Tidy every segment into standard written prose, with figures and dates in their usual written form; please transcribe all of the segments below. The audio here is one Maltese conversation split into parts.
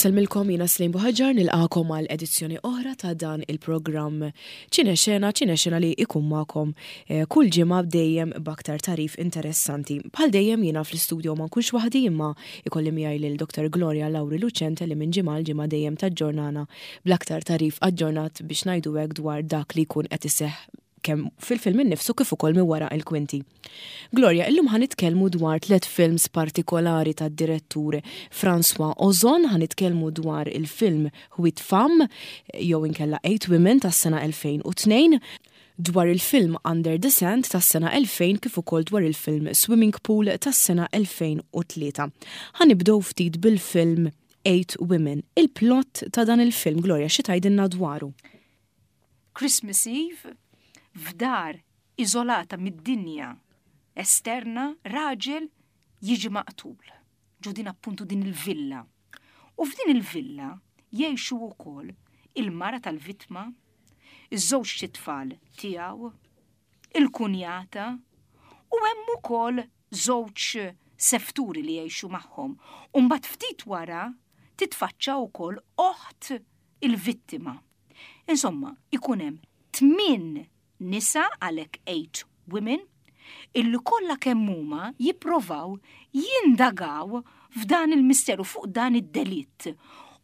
Insellmilkom jiena Slim Buħaġar nilqakom għal edizzjoni oħra ta' dan il-programm Ċinexena, Ċinexena li ikun magħkom eh, kull ġimgħa dejjem b'aktar tarif interessanti. Bħal dejjem jiena fl-istudio ma nkunx waħdi imma ikolli miegħi lil Dr. Gloria Lauri Lucente li minn ġimgħa l ġimgħa dejjem taġġornana bl-aktar tarif aġġornat biex ngħidu hekk dwar dak li jkun qed iseħħ kemm fil-film innifsu kif ukoll minn wara il-kwinti. Gloria, illum ħa nitkellmu dwar tlet films partikolari tad-direttur François Ozon, ħa nitkellmu dwar il-film Huit Femmes, jew inkella Eight Women tas-sena 2002, dwar il-film Under the Sand tas-sena 2000 kif ukoll dwar il-film Swimming Pool tas-sena 2003. Ħa nibdew ftit bil-film Eight Women. Il-plot ta' dan il-film, Gloria, xi tgħidilna dwaru? Christmas Eve, f'dar iżolata mid-dinja esterna, raġel jiġi maqtul. Ġo din appuntu din il-villa. U f'din il-villa jgħixu wkoll il-mara tal-vittma, iż-żewġ tfal tiegħu, il-kunjata u hemm ukoll żewġ sefturi li jgħixu magħhom. U mbagħad ftit wara titfaċċa wkoll oħt il-vittima. Insomma, ikun hemm tmin nisa għalhekk eight women illi kollha kemm huma jipprovaw jindagaw f'dan il-misteru fuq dan id-delitt.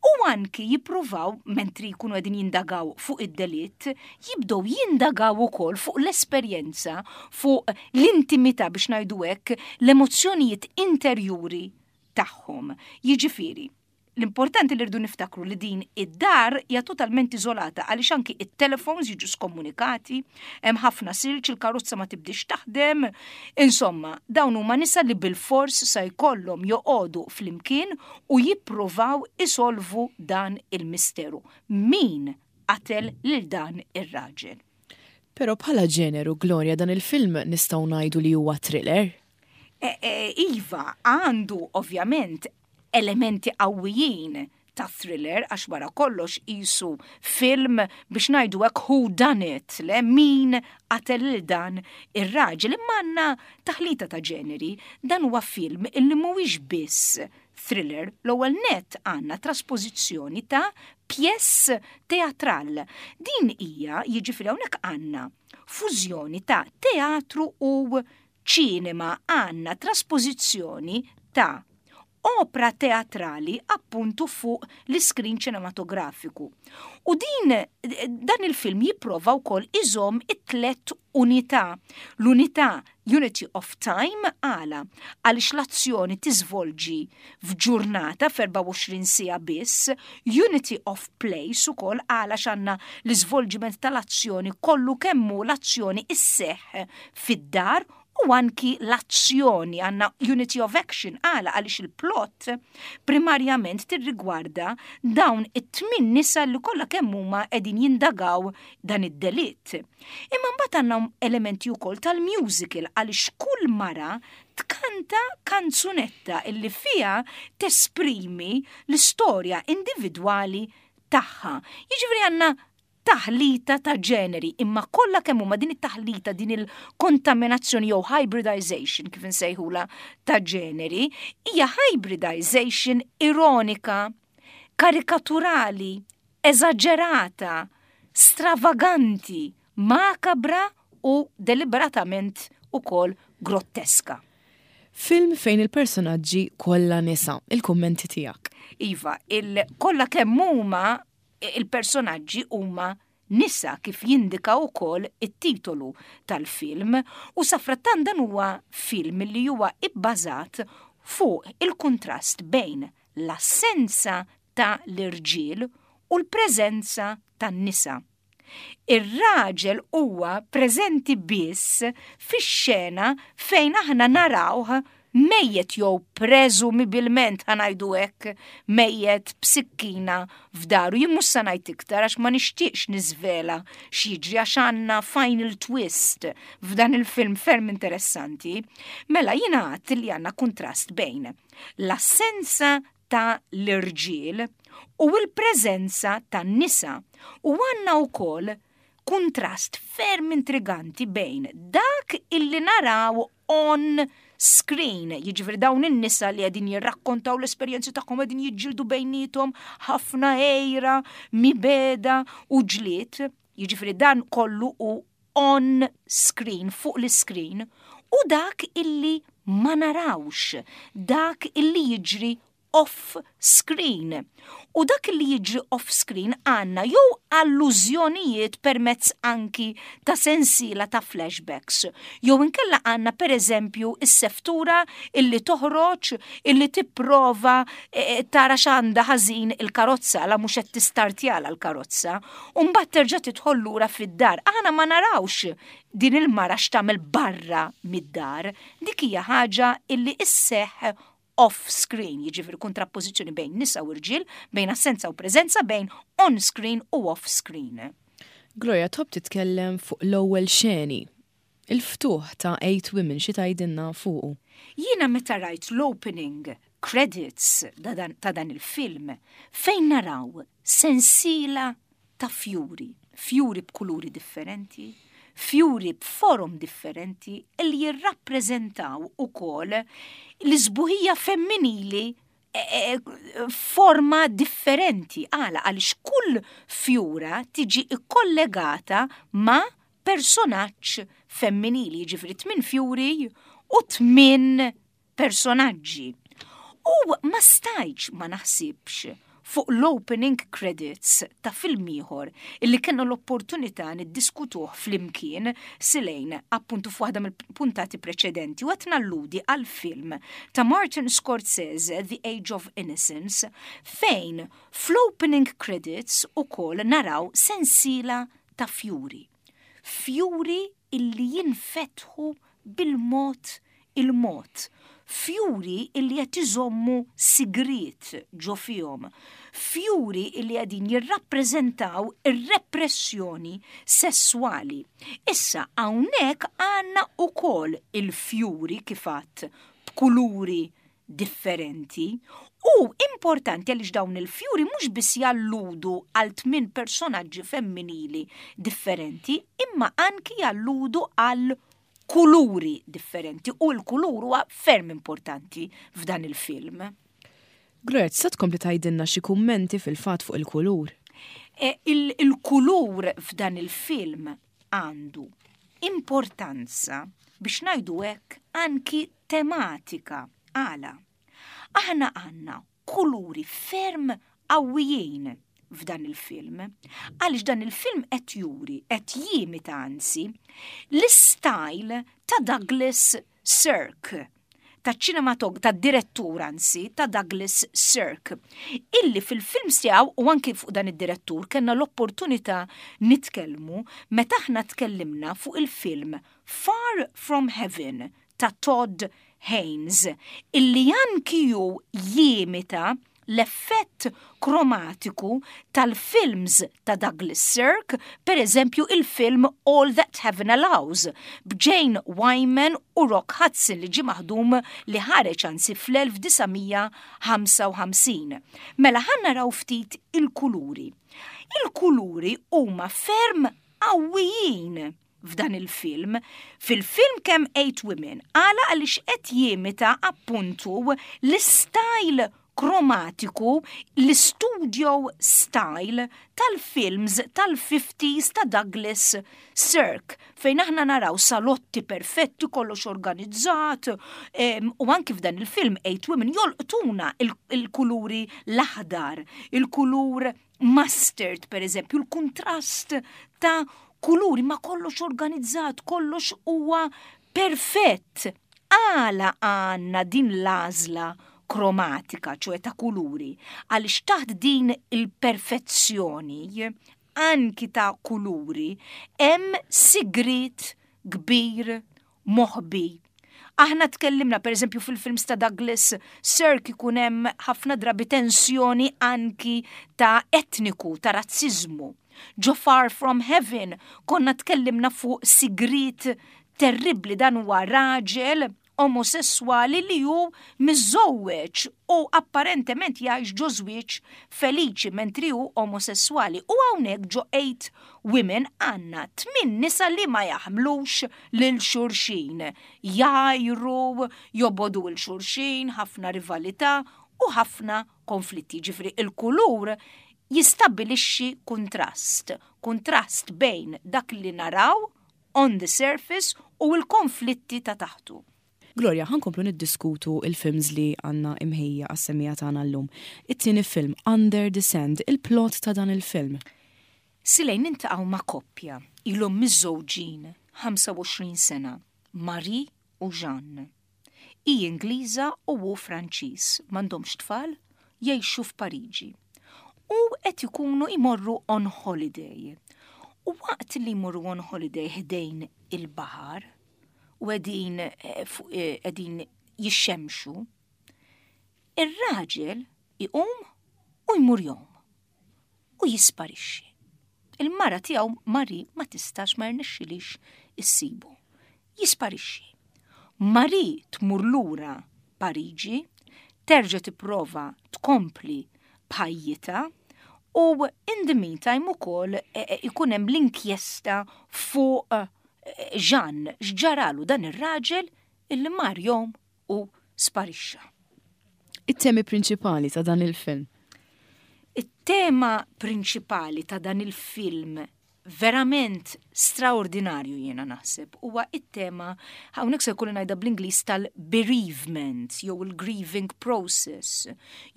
U anki jippruvaw, mentri jkunu qegħdin jindagaw fuq id-delitt, jibdew jindagaw ukoll fuq l-esperjenza, fuq l-intimità biex ngħidu hekk, l-emozzjonijiet interjuri tagħhom. Jiġifieri, L-importanti li rridu niftakru li din id-dar hija totalment iżolata għaliex anki it-telefons jiġu skomunikati, hemm ħafna silġ, il-karozza ma tibdix taħdem. Insomma, dawn huma nisa li bilfors sa jkollhom joqogħdu flimkien u jippruvaw isolvu dan il-misteru. Min qatel lil dan ir-raġel? Però bħala ġeneru, Gloria, dan il-film nistgħu ngħidu li huwa thriller? E, e, iva, għandu ovvjament elementi qawwijin ta' thriller għax wara kollox qisu film biex ngħidu hekk who done it, le min qatel lil dan ir-raġel. Imma għandna taħlita ta' ġeneri, dan huwa film illi mhuwiex biss thriller, l-ewwel nett għandna traspożizzjoni ta' pièce teatral. Din hija, jiġifieri hawnhekk għandna fużjoni ta' teatru u ċinema għandna traspożizzjoni ta' opra teatrali appuntu fuq l-iskrin ċinematografiku. U din dan il-film jipprova wkoll iżomm it-tlet unità. L-unità Unity of Time għala għaliex l-azzjoni tiżvolġi f'ġurnata f'24 siegħa biss, Unity of Place ukoll għala x'għandna l-iżvolġiment tal-azzjoni kollu kemm hu l-azzjoni isseħħ fid-dar u anki l-azzjoni għandna unity of action għala għaliex il-plot primarjament tirrigwarda dawn it-tmin nisa li kollha kemm huma qegħdin jindagaw dan id-delitt. Imma mbagħad għandna elementi wkoll tal-musical għaliex kull mara tkanta kanzunetta illi fiha tesprimi l-istorja individwali tagħha. Jiġifieri għandna taħlita ta' ġeneri, imma kollha kemm huma din it-taħlita, din il-kontaminazzjoni jew hybridization kif insejħula ta' ġeneri, hija hybridization ironika, karikaturali, eżaġerata, stravaganti, makabra u deliberatament ukoll grotteska. Film fejn il-personaġġi kollha nisa, il-kummenti tiegħek. Iva, il kollha kemm huma il-personaġġi huma nisa kif jindika wkoll it-titolu tal-film u safrattant dan huwa film li huwa ibbażat fuq il-kuntrast bejn l-assenza ta' l-irġiel u l-preżenza tan-nisa. Ir-raġel huwa preżenti biss fix-xena fejn aħna narawh mejjet jew preżumibilment ħa ngħidu hekk mejjet b'sikkina f'daru. Jien mhux sa ngħid iktar għax ma nixtieqx niżvela x'jiġri għax għandna final twist f'dan il-film ferm interessanti. Mela jiena għadt li għandna kuntrast bejn l-assenza ta' l-irġiel u l-preżenza tan-nisa u għandna wkoll kuntrast ferm intriganti bejn dak illi naraw on screen, jiġifieri dawn in-nisa li qegħdin jirrakkontaw l-esperjenzi tagħhom qegħdin jiġġieldu bejniethom ħafna għejra, mibegħda u ġlied, jiġifieri dan kollu hu on screen, fuq l-iscreen, u dak illi ma narawx, dak illi jiġri off screen. U dak li jiġri off screen għandna jew allużjonijiet permezz anki ta' sensiela ta' flashbacks, jew inkella għandna pereżempju s-seftura illi toħroġ illi tipprova tara x'għandha ħażin il-karozza la mhux qed tistartjala l-karozza, u mbagħad terġa' tidħol lura fid-dar. Aħna ma narawx din il-mara x'tagħmel barra mid-dar. Dik hija ħaġa illi isseħħ off screen, jiġifieri kontrappożizzjoni bejn nisa u rġiel, bejn assenza u preżenza, bejn on screen u off screen. Gloria, tħobb titkellem fuq l-ewwel xeni. Il-ftuħ ta' Eight Women xi tgħidilna fuqu? Jiena meta rajt l-opening credits ta' dan il-film fejn naraw sensiela ta' fjuri, fjuri b'kuluri differenti, fjuri b'forom differenti li jirrappreżentaw ukoll l-isbuħija femminili e, e, forma differenti. Għala għaliex kull fjura tiġi ikkollegata ma' personaġġ femminili, jiġifieri tmin fjuri u tmin personaġġi. U ma stajtx ma naħsibx fuq l-opening credits ta' film ieħor illi kellna l-opportunità niddiskutuh flimkien silejn appuntu f'waħda mill-puntati preċedenti u qed nalludi għal film ta' Martin Scorsese The Age of Innocence fejn fl-opening credits ukoll naraw sensiela ta' fjuri. Fjuri illi jinfetħu bil-mod il-mod, fjuri illi qed iżommu sigriet ġo fihom, fjuri illi qegħdin jirrappreżentaw ir-repressjoni sesswali. Issa hawnhekk għandna wkoll il-fjuri kif għadt b'kuluri differenti u importanti għaliex dawn il-fjuri mhux biss jalludu għal tmin personaġġi femminili differenti imma anki jalludu għal kuluri differenti u l-kulur huwa ferm importanti f'dan il-film. Gloria, tista' tkompli tgħidilna xi kummenti fil-fatt fuq il-kulur? E, il-kulur f'dan il-film għandu importanza biex ngħidu hekk anki tematika. Għala? Aħna għandna kuluri ferm qawwijin f'dan il-film. Għaliex dan il-film qed juri, qed jimita anzi, l-istyle ta' Douglas Sirk, ta' ċinematog, ta' direttur anzi, ta' Douglas Sirk, illi fil-films tiegħu u anki fuq dan id-direttur kellna l-opportunità nitkellmu meta aħna tkellimna fuq il-film Far From Heaven ta' Todd Haynes, illi anki hu jimita l-effett kromatiku tal-films ta' Douglas Sirk, per eżempju il-film All That Heaven Allows, b'Jane Wyman u Rock Hudson li ġie maħdum li ħareġ anzi fl-1955. Mela ħa naraw ftit il-kuluri. Il-kuluri huma ferm qawwijin f'dan il-film. Fil-film kemm Eight Women, għala għaliex qed jimita appuntu l-istyle kromatiku, l-studio style tal-films tal-50s ta' Douglas Sirk, fejn aħna naraw salotti perfetti, kollox organizzat, u anki f'dan il-film Eight Women jolqtuna il-kuluri l-aħdar, il-kulur mustard per eżempju, l-kuntrast ta' kuluri ma kollox organizzat, kollox huwa perfett. Għala għandna din l-għażla kromatika, ċoe ta' kuluri, għaliex taħt din il-perfezzjoni anki ta' kuluri hemm sigriet kbir moħbi. Aħna tkellimna pereżempju fil-films ta' Douglas Sirk ikun hemm ħafna drabi tensjoni anki ta' etniku, ta' razziżmu. Ġo Far From Heaven konna tkellimna fuq sigriet terribbli dan huwa raġel omosesswali li hu miżżewweġ u apparentement jgħix ġo żwieġ feliċi mentri hu omosesswali. U hawnhekk ġo 8 Women għandna tmin nisa li ma jaħmlux lil xulxin. Jgħajru, jobogħdu 'l xulxin, ħafna rivalità u ħafna konflitti. Ġifieri il-kulur jistabbilixxi kuntrast, kuntrast bejn dak li naraw on the surface u l-konflitti ta' taħtu. Gloria, ħa nkomplu niddiskutu il-films li għandna imħejja għas-semmiegħa tagħna llum. It-tieni film, Under the Sand, il-plot ta' dan il-film. Silej niltaqgħu ma' koppja ilhom miżżewġin 25 sena, Marie u Jeanne. Hi Ingliża u hu Franċiż, m'għandhomx tfal, jgħixu f'Pariġi. U qed ikunu jmorru on holiday. U waqt li jmorru on holiday ħdejn il-baħar u qegħdin eh, eh, qegħdin jixxemxu, ir-raġel iqum u jmur jgħum u jisparixxi. Il-mara tiegħu Marie ma tistax ma jirnexxilix issibu. Jisparixxi. Marie tmur lura Pariġi, terġa' tipprova tkompli b'ħajjitha u in the meantime ukoll e, e, ikun hemm l-inkjesta fuq e, Jean x'ġaralu dan ir-raġel illi mar jgħum u sparixxa. It-temi prinċipali ta' dan il-film. It-tema prinċipali ta' dan il-film verament straordinarju jiena naħseb huwa it-tema hawnhekk se jkolli ngħidha bl-Ingliż tal-bereavement jew il-grieving process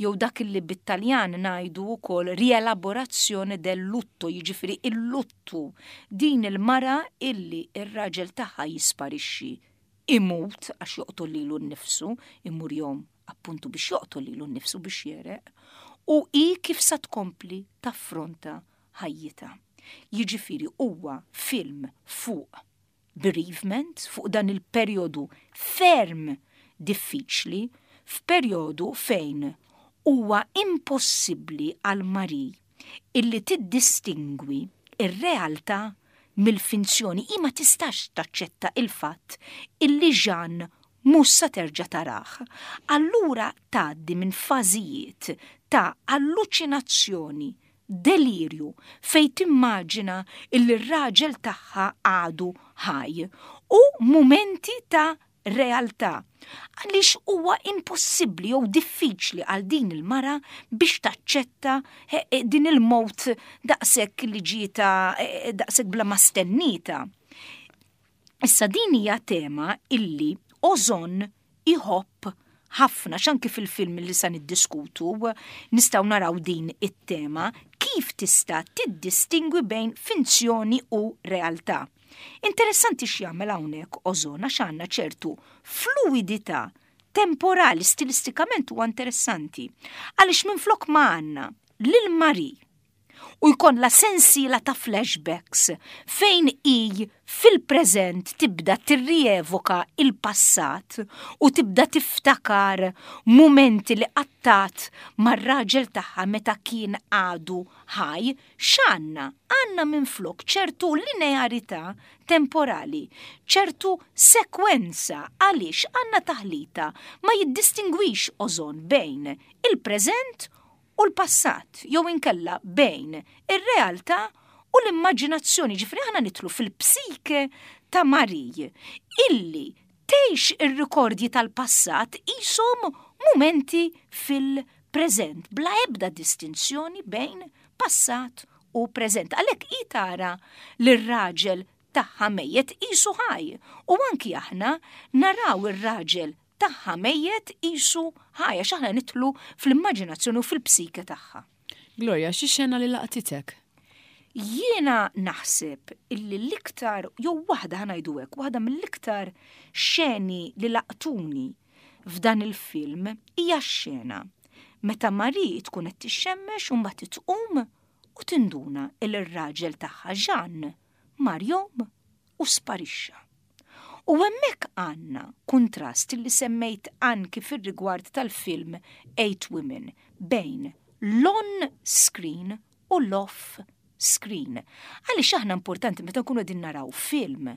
jew dak li bit-Taljan ngħidu wkoll rielaborazione del lutto, jiġifieri il-luttu din il-mara illi ir-raġel tagħha jisparixxi imut għax joqtol lilu nnifsu, imur jgħum appuntu biex joqtol lilu nnifsu biex jegħreq, u hi kif sa tkompli taffronta ħajjitha. Jiġifieri huwa film fuq bereavement, fuq dan il-perjodu ferm diffiċli, f'perjodu fejn huwa impossibbli għal Marie illi tiddistingwi ir-realtà mill-finzjoni. Hi ma tistax taċċetta il-fatt illi Jean mhux sa terġa' tarah. Allura tgħaddi minn fażijiet ta' alluċinazzjoni, delirju, fejn timmaġina illi r-raġel tagħha għadu ħaj u mumenti ta' realtà. Għaliex huwa impossibbli jew diffiċli għal din il-mara biex taċċetta eh, eh, din il-mowt daqshekk li ġieta eh, daqshekk bla ma stennita. Issa din hija tema illi Ozon iħobb ħafna x'anki fil-film li sa niddiskutu nistgħu naraw din it-tema kif tista' tiddistingwi bejn finzjoni u realtà. Interessanti x'jagħmel hawnhekk Ozon għax għandna ċertu fluidità temporali stilistikament huwa interessanti. Għaliex minflok ma għandna lil Marie u jkollha sensiela ta' flashbacks fejn hi fil-preżent tibda tirrievoka il-passat u tibda tiftakar mumenti li qattat mar-raġel tagħha meta kien għadu ħaj, x'għandna? Għandna minflok ċertu linearità temporali, ċertu sekwenza għaliex għandna taħlita ma jiddistingwix Ozon bejn il-preżent u l-passat jew inkella bejn ir-realtà u l-immaġinazzjoni, ġifieri aħna nidħlu fil-psike ta' Marie illi tgħix ir-rikordji tal-passat qishom mumenti fil-preżent bla ebda distinzjoni bejn passat u preżent. Għalhekk hi tara lir-raġel tagħha mejjet qisu ħaj u anki aħna naraw ir-raġel tagħha mejjet qisu ħaj għax aħna nidħlu fl-immaġinazzjoni u fil-psike tagħha. Gloria, xi xena li laqtitek? Jiena naħseb illi l-iktar, jew waħda ħa ngħidu hekk, waħda mill-iktar xeni li laqtuni f'dan il-film hija x-xena meta Marie tkun qed tixxemmex u mbagħad tqum u tinduna il r-raġel tagħha Jean mar jgħum u sparixxa. U hemmhekk għandna kuntrast li semmejt anki fir-rigward tal-film Eight Women bejn l-on screen u l-off. screen. Għaliex aħna importanti meta nkunu qegħdin naraw film,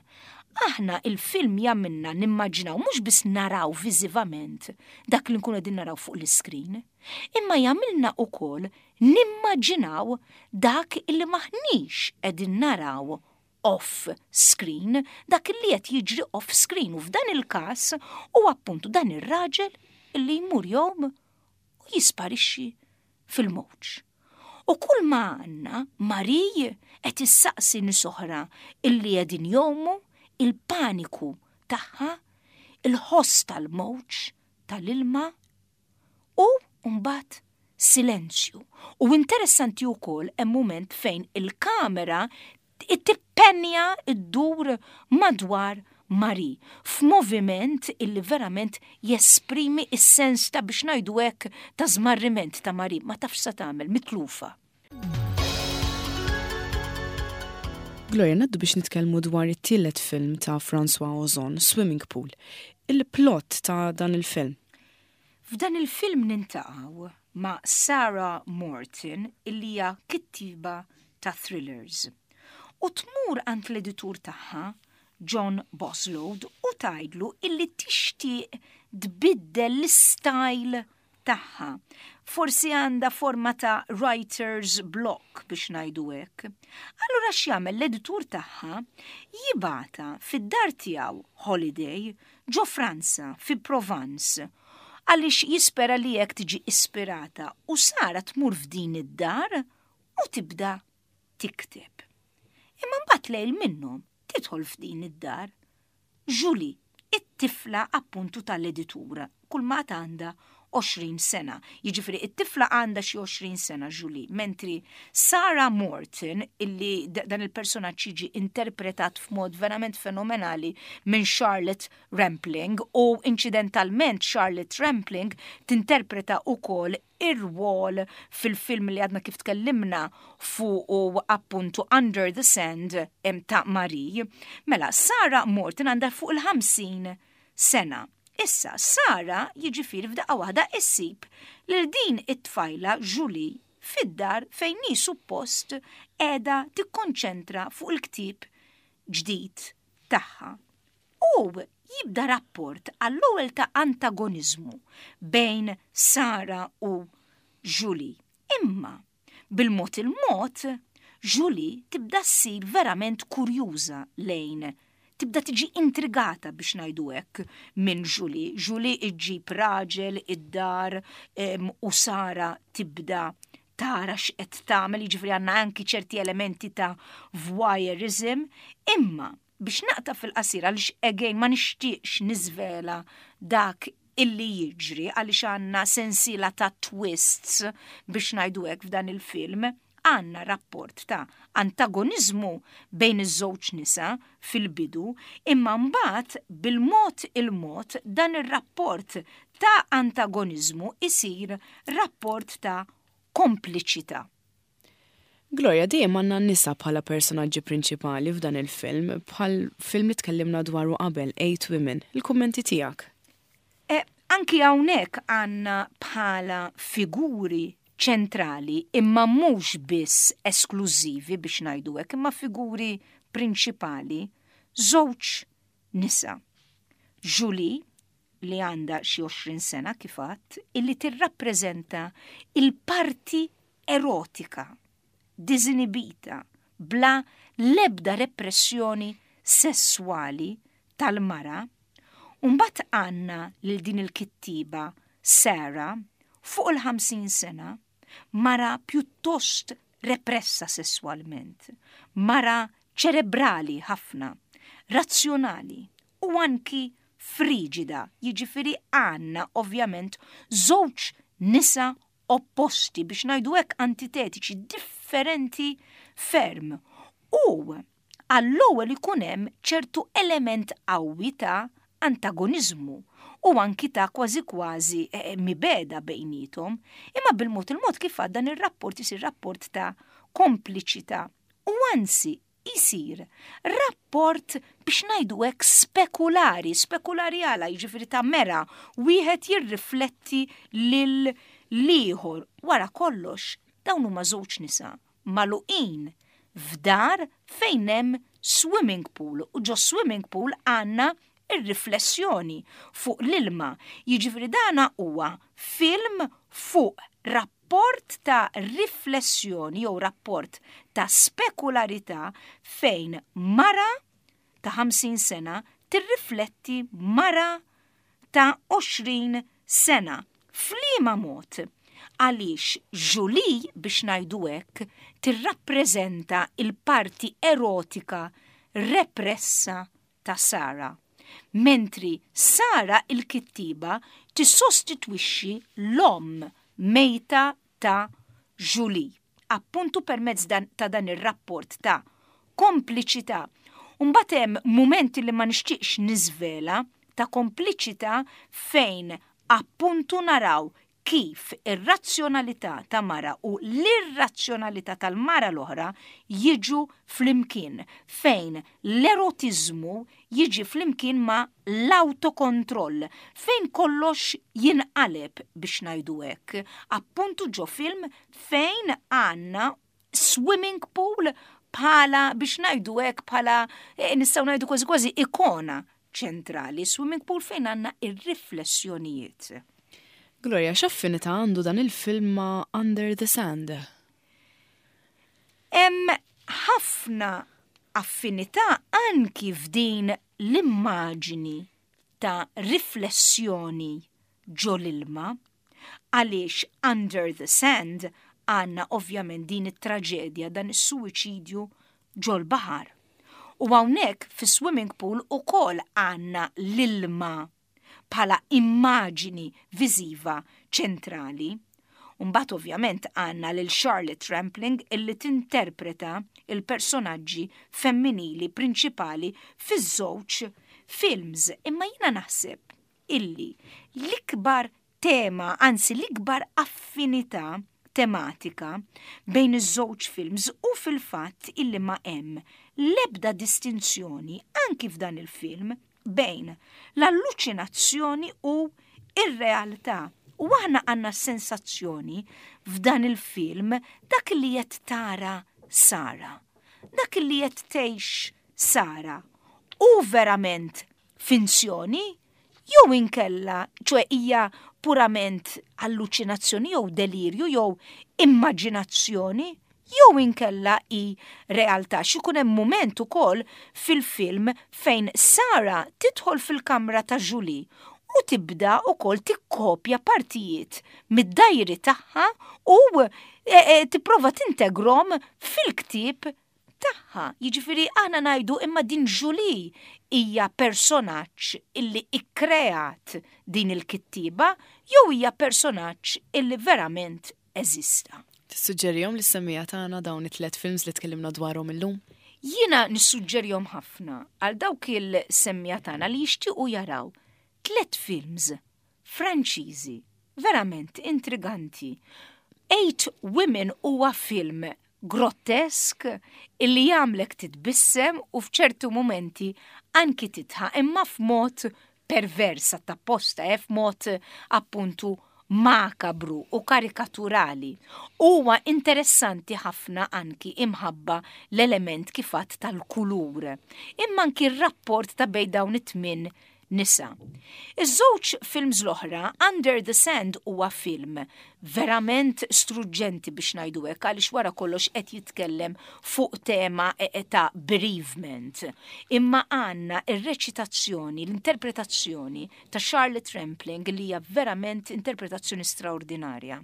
aħna il-film jagħmilna nimmaġinaw mhux biss naraw viżivament dak li nkunu qegħdin naraw fuq l-iscreen, imma jagħmilna ukoll nimmaġinaw dak illi m'aħniex qegħdin naraw off screen, dak li qed jiġri off screen u f'dan il-każ huwa appuntu dan ir-raġel illi jmur jgħum u jisparixxi fil-mowġ. U kull ma għandna Marie qed issaqsi nies oħra illi qegħdin jgħumu il-paniku tagħha, il-ħoss tal-mowġ tal-ilma u mbagħad silenzju. U interessanti wkoll hemm mument fejn il-kamera tippenja ddur madwar Marie f'moviment illi verament jesprimi s-sens ta' biex ngħidu hekk ta' żmarriment ta' Marie, ma tafx sa tagħmel, mitlufa. Gloria, ngħaddu biex nitkellmu dwar it-tielet film ta' François Ozon, Swimming Pool. Il-plot ta' dan il-film. F'dan il-film nintaqgħu ma' Sarah Morton illi hija kittieba ta' thrillers. U tmur għand l-editur tagħha, John Bosload, u tgħidlu illi tixtieq tbiddel l-istyle tagħha. Forsi għandha forma ta' writer's block biex ngħidu hekk. Allura x'jagħmel l-editur tagħha jibgħatha fid-dar tiegħu holiday ġo Franza fi Provence għaliex jispera li hekk tiġi ispirata u Sara tmur f'din id-dar u tibda tikteb. Imma mbagħad lejl minnhom tidħol f'din id-dar Julie, it-tifla appuntu tal-editur, kull ma għandha 20 sena. Jiġifieri it-tifla għandha xi 20 sena Julie, mentri Sarah Morton, illi dan il-personaġġ jiġi interpretat f'mod verament fenomenali minn Charlotte Rampling u inċidentalment Charlotte Rampling tinterpreta wkoll ir-rwol fil-film li għadna kif tkellimna fuq appuntu Under the Sand ta' Marie. Mela, Sarah Morton għandha fuq il-50 sena. Issa, Sara jiġifieri f'daqqa waħda issib lil din it-tfajla Julie fid-dar fejn hi suppost qiegħda tikkonċentra fuq il-ktieb ġdid tagħha. U jibda rapport għall-ewwel ta' antagoniżmu bejn Sara u Julie. Imma, bil-mod il-mod, Julie tibda ssir verament kurjuża lejn tibda tiġi intrigata biex ngħidu hekk minn Julie. Julie iġġib raġel id-dar u Sara tibda tara x'qed tagħmel, jiġifieri għandna anki ċerti elementi ta' voyeurism, imma biex naqta' fil-qasir għaliex again ma nixtieqx niżvela dak illi jiġri għaliex għandna sensiela ta' twists biex ngħidu hekk f'dan il-film, għandna rapport ta' antagoniżmu bejn iż-żewġ nisa fil-bidu, imma mbagħad bil-mod il-mod dan ir-rapport ta' antagoniżmu isir rapport ta' kompliċità. Gloria, dejjem għandna n-nisa bħala personaġġi prinċipali f'dan il-film, bħal film li tkellimna dwaru qabel, Eight Women. Il-kummenti tiegħek? E, anki hawnhekk għandna bħala figuri ċentrali imma mhux biss esklużivi biex ngħidu hekk, imma figuri prinċipali żewġ nisa. Julie, li għandha xi 20 sena kif għadt, illi tirrappreżenta il-parti erotika, diżinibita, bla l-ebda repressjoni sesswali tal-mara, u mbagħad għandna lil din il-kittieba Sarah fuq il-50 sena, mara pjuttost repressa sesswalment, mara ċerebrali ħafna, razzjonali u anki friġida, jiġifieri għandna ovvjament żewġ nisa opposti, biex ngħidu hekk antitetiċi, differenti ferm. U għall-ewwel ikun hemm ċertu element qawwi ta' antagoniżmu u anki ta' kważi kważi eh, mibeda bejnietom, imma bil-mod il-mod kif għad dan ir-rapport isir rapport ta' kompliċità u anzi jsir rapport biex ngħidu hekk spekulari, spekulari għala jiġifieri ta' mera wieħed jirrifletti lil l-ieħor. Wara kollox dawn huma żewġ nisa magħluqin. f'dar fejn hemm swimming pool u ġo swimming pool għandna ir-riflessjoni fuq l-ilma. Jiġifieri dana huwa film fuq rapport ta' riflessjoni jew rapport ta' spekularità fejn mara ta' 50 sena tirrifletti mara ta' 20 sena. F'liema mod? Għaliex Julie, biex ngħidu hekk, tirrappreżenta l-parti erotika repressa ta' Sara, mentri Sara l-kittieba tissostitwixxi l-omm mejta ta' Julie, appuntu permezz ta' dan ir-rapport ta' kompliċità. U mbagħad hemm mumenti li ma nixtieqx niżvela ta' kompliċità fejn appuntu naraw kif ir-razzjonalità ta' mara u l-irrazzjonalità tal-mara l-oħra jiġu flimkien, fejn l-erotiżmu jiġi flimkien ma' l-awtokontroll, fejn kollox jinqaleb biex ngħidu hekk, appuntu ġo film fejn għandna swimming pool bħala biex ngħidu hekk bħala eh, nistgħu ngħidu kważi kważi ikona ċentrali, swimming pool fejn għandna ir-riflessjonijiet. Gloria, x'affinità għandu dan il-film ma' Under the Sand? Hemm ħafna affinità anki f'din l-immaġini ta' riflessjoni ġo l-ilma għaliex Under the Sand għandna ovvjament din it-traġedja, dan is-suwiċidju ġol-baħar. U hawnhekk fis-swimming pool ukoll għandna l-ilma bħala immaġini viżiva ċentrali. U mbagħad ovvjament għandna lil Charlotte Rampling illi tinterpreta l-personaġġi femminili prinċipali fiż-żewġ films. Imma jiena naħseb illi l-ikbar tema, anzi l-ikbar affinità tematika bejn iż-żewġ films hu fil-fatt illi ma hemm l-ebda distinzjoni anki f'dan il-film bejn l-alluċinazzjoni u r-realtà. U aħna għandna s-sensazzjoni f'dan il-film dak li qed tara Sara, dak li qed tgħix Sara hu verament finzjoni jew inkella, ċoe hija purament alluċinazzjoni jew delirju jew immaġinazzjoni jew inkella hi realtà. X'ikun hemm mument ukoll fil-film fejn Sara tidħol fil-kamra ta' Julie u tibda wkoll tikkopja partijiet mid-diary tagħha u e, e, tipprova tintegrom fil-ktieb tagħha. Jiġifieri aħna ngħidu imma din Julie hija personaġġ illi ikkreat din il-kittieba jew hija personaġġ illi verament eżista. Tissuġġerihom lis-semmiegħa tagħna dawn it-tlett films li tkellimna dwarhom illum? Jiena nissuġġerihom ħafna għal dawk il-semmiegħa tagħna li jixtiequ jaraw tlett films Franċiżi verament intriganti. Eight Women huwa film grottesk illi jagħmlek titbissem u f'ċertu mumenti anki tidħaq imma f'mod pervers apposta, eh, f'mod appuntu makabru u karikaturali. Huwa interessanti ħafna anki imħabba l-element kif għedt tal-kulur. Imma anki r-rapport ta' bejn dawn it-tmin nisa. Iż-żewġ films l-oħra, Under the Sand huwa film verament struġġenti biex ngħidu hekk għaliex wara kollox qed jitkellem fuq tema e, e, ta' bereavement. Imma għandna ir-reċitazzjoni, l-interpretazzjoni ta' Charlotte Rampling li hija verament interpretazzjoni straordinarja.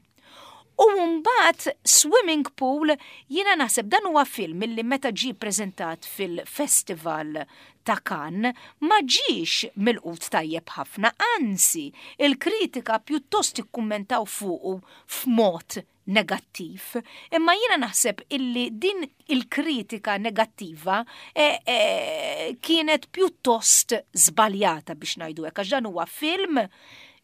U mbagħad Swimming Pool jiena naħseb dan huwa film illi meta ġie preżentat fil-festival ta' Cannes ma ġiex milqut tajjeb ħafna, anzi il-kritika pjuttost ikkummentaw fuqu f'mod negattiv. Imma jiena naħseb illi din il-kritika negattiva e, e, kienet pjuttost żbaljata biex ngħidu hekk għax dan huwa film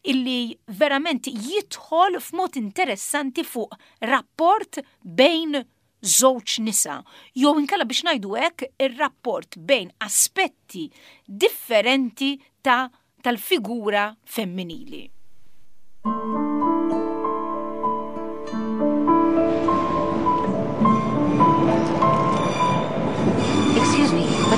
illi verament jidħol f'mod interessanti fuq rapport bejn żewġ nisa, jew inkella biex ngħidu hekk ir-rapport bejn aspetti differenti ta' tal-figura femminili.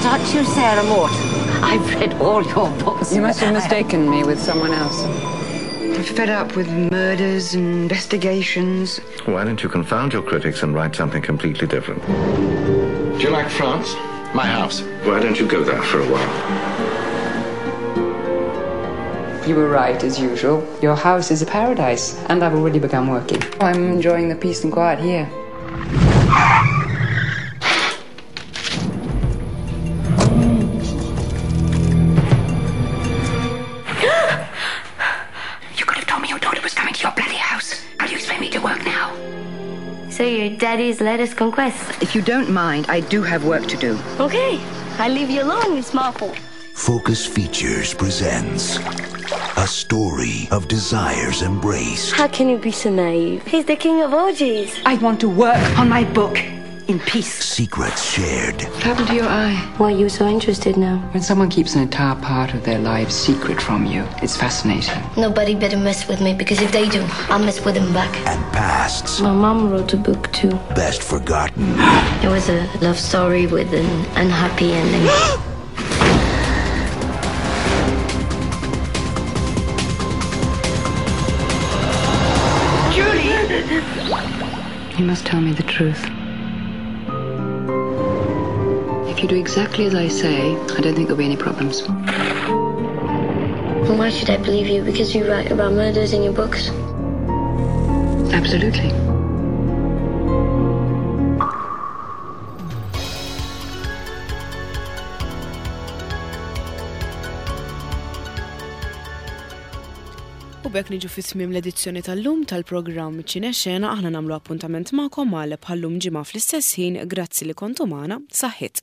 Aren't you Sarah Morton? I've read all your books. You must have mistaken me with someone else. I'm fed up with murders and investigations. Why don't you confound your critics and write something completely different? Do you like France? My house. Why don't you go there for a while? You were right, as usual. Your house is a paradise, and I've already begun working. I'm enjoying the peace and quiet here. You could have told me your daughter was coming to your bloody house. How do you expect me to work now? So your daddy's latest conquest. If you don't mind, I do have work to do. Okay, I leave you alone, Miss Marple. Focus Features presents A Story of Desires Embraced. How can you be so naive? He's the king of orgies. I want to work on my book in peace. Secrets shared. What happened to your eye? Why are you so interested now? When someone keeps an entire part of their lives secret from you, it's fascinating. Nobody better mess with me because if they do, I'll mess with them back. And pasts My mom wrote a book too. best forgotten. It was a love story with an unhappy ending. You must tell me the truth. If you do exactly as I say, I don't think there'll be any problems. And Why should I believe you? Because you write about murders in your books? Absolutely. U b'hekk niġu fi tmiem l-edizzjoni tal-lum tal-programm Ċinexena aħna nagħmlu appuntament magħkom għal bħal-lum ġimgħa fl-istess ħin grazzi li kontu magħna saħħit.